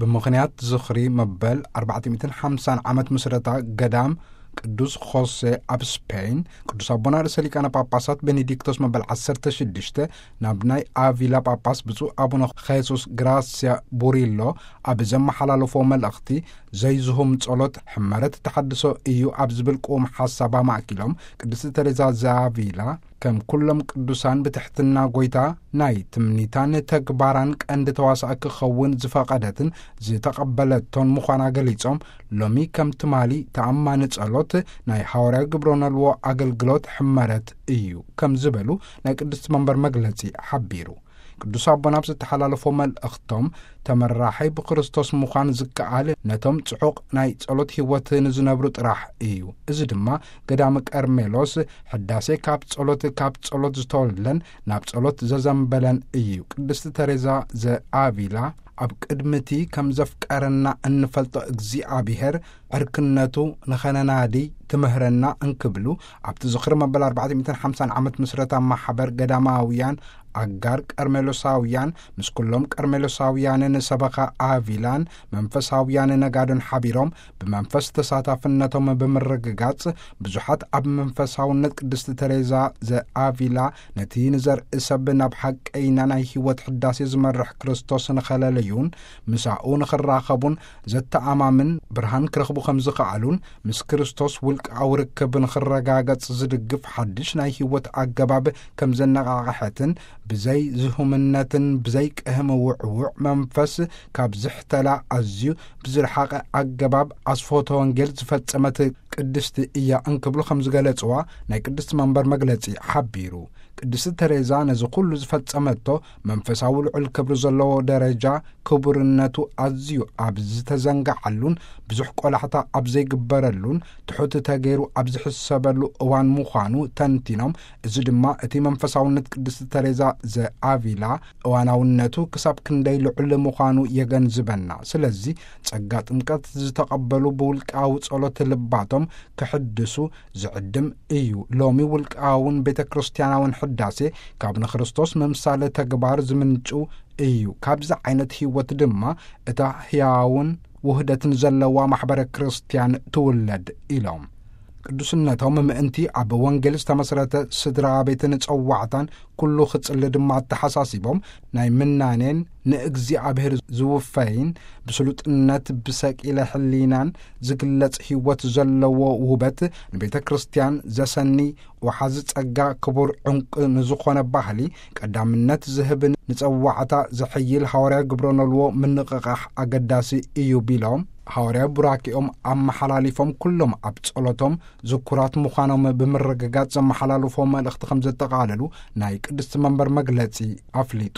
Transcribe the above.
ብምኽንያት ዝኽሪ መበል ኣርባዕተ ሚእትን ሓምሳን ዓመት ምስረታ ገዳም ቅዱስ ኾሴ ኣብ ስፔን፣ ቅዱስ ኣቦና ርእሰ ሊቃነ ጳጳሳት ቤኔዲክቶስ መበል ዓሰርተ ሽዱሽተ ናብ ናይ ኣቪላ ጳጳስ ብፁዕ ኣቡነ ኼሱስ ግራስያ ቡሪሎ ኣብ ዘመሓላለፎ መልእኽቲ፣ ዘይዝሁም ጸሎት ሕመረት ተሓድሶ እዩ ኣብ ዝብል ቅዉም ሓሳብ ኣማእኪሎም፣ ቅድስቲ ተሬዛ ዘኣቪላ ከም ኩሎም ቅዱሳን ብትሕትና ጐይታ ናይ ትምኒታን ተግባራን ቀንዲ ተዋሳእ ክኸውን ዝፈቐደትን ዝተቐበለቶን ምዃና ገሊጾም፣ ሎሚ ከም ትማሊ ተኣማኒ ጸሎት ናይ ሃዋርያዊ ግብረ ኖልዎ ኣገልግሎት ሕመረት እዩ ከም ዝበሉ ናይ ቅድስቲ መንበር መግለጺ ሓቢሩ። ቅዱስ ኣቦና ኣብ ዝተሓላለፎ መልእኽቶም፣ ተመራሒ ብክርስቶስ ምዃን ዝከኣል ነቶም ጽዑቕ ናይ ጸሎት ህይወት ንዝነብሩ ጥራሕ እዩ። እዚ ድማ ገዳመ ቀርሜሎስ ሕዳሴ ካብ ጸሎት፣ ካብ ጸሎት ዝተወልደን ናብ ጸሎት ዘዘንበለን እዩ። ቅድስቲ ተሬዛ ዘኣቪላ ኣብ ቅድሚቲ ከም ዘፍቀረና እንፈልጦ እግዚኣብሔር ዕርክነቱ ንኸነናዲ ትምህረና እንክብሉ፣ ኣብቲ ዝኽሪ መበል ኣርባዕተ ሚእትን ሓምሳን ዓመት ምስረታ ማሕበር ገዳማውያን ኣጋር ቀርሜሎሳውያን ምስ ኩሎም ቀርሜሎሳውያንን ሰበኻ ኣቪላን መንፈሳውያን ነጋዶን ሓቢሮም፣ ብመንፈስ ተሳታፍነቶም ብምርግጋጽ፣ ብዙሓት ኣብ መንፈሳውነት ቅድስቲ ተሬዛ ዘኣቪላ ነቲ ንዘርኢ ሰብ ናብ ሓቀይና ናይ ህይወት ሕዳሴ ዝመርሕ ክርስቶስ ንኸለለዩን ምሳኡ ንኽራኸቡን ዘተኣማምን ብርሃን ክረኽቡ ከም ዝኸኣሉን፣ ምስ ክርስቶስ ውልቃዊ ርክብ ንኽረጋገጽ ዝድግፍ ሓድሽ ናይ ህይወት ኣገባብ ከም ዘነቓቕሐትን፣ ብዘይ ዝሁምነትን ብዘይ ቅህም ውዕውዕ መንፈስ ካብ ዝሕተላ ኣዝዩ ብዝረሓቐ ኣገባብ ኣስፎተ ወንጌል ዝፈጸመት ቅድስቲ እያ እንክብሉ ከም ዝገለጽዋ ናይ ቅድስቲ መንበር መግለጺ ሓቢሩ። ቅድስቲ ተሬዛ ነዚ ኩሉ ዝፈጸመቶ መንፈሳዊ ልዑል ክብሪ ዘለዎ ደረጃ ክቡርነቱ ኣዝዩ ኣብ ዝተዘንጋዓሉን ብዙሕ ቆላሕታ ኣብ ዘይግበረሉን ትሑት ተገይሩ ኣብ ዝሕሰበሉ እዋን ምዃኑ ተንቲኖም፣ እዚ ድማ እቲ መንፈሳውነት ቅድስቲ ተሬዛ ዘኣቪላ እዋናውነቱ ክሳብ ክንደይ ልዑል ምዃኑ የገንዝበና። ስለዚ ጸጋ ጥምቀት ዝተቐበሉ ብውልቃዊ ጸሎት ልባቶም ክሕድሱ ዝዕድም እዩ። ሎሚ ውልቃውን ቤተ ክርስቲያናውን ሕዳሴ ካብ ንክርስቶስ ምምሳል ተግባር ዝምንጩ እዩ። ካብዚ ዓይነት ህይወት ድማ እታ ህያውን ውህደትን ዘለዋ ማሕበረ ክርስቲያን ትውለድ ኢሎም። ቅዱስነቶም ምእንቲ ኣብ ወንጌል ዝተመስረተ ስድራ ቤትን ጸዋዕታን ኩሉ ክጽሊ ድማ ኣተሓሳሲቦም፣ ናይ ምናኔን ንእግዚኣብሔር ዝውፈይን ብስሉጥነት ብሰቂለ ሕሊናን ዝግለጽ ህይወት ዘለዎ ውበት ንቤተ ክርስቲያን ዘሰኒ ወሓዚ ጸጋ ክቡር ዕንቂ ንዝኾነ ባህሊ ቀዳምነት ዝህብን ንጸዋዕታ ዘሐይል ሃዋርያ ግብረ ኖልዎ ምንቕቓሕ ኣገዳሲ እዩ ቢሎም፣ ሃዋርያ ቡራኪኦም ኣመሓላሊፎም ኩሎም ኣብ ጸሎቶም ዝኩራት ምዃኖም ብምርግጋጽ ዘመሓላልፎ መልእኽቲ ከም ዘጠቓለሉ ናይ ቅድስቲ መንበር መግለጺ ኣፍሊጡ።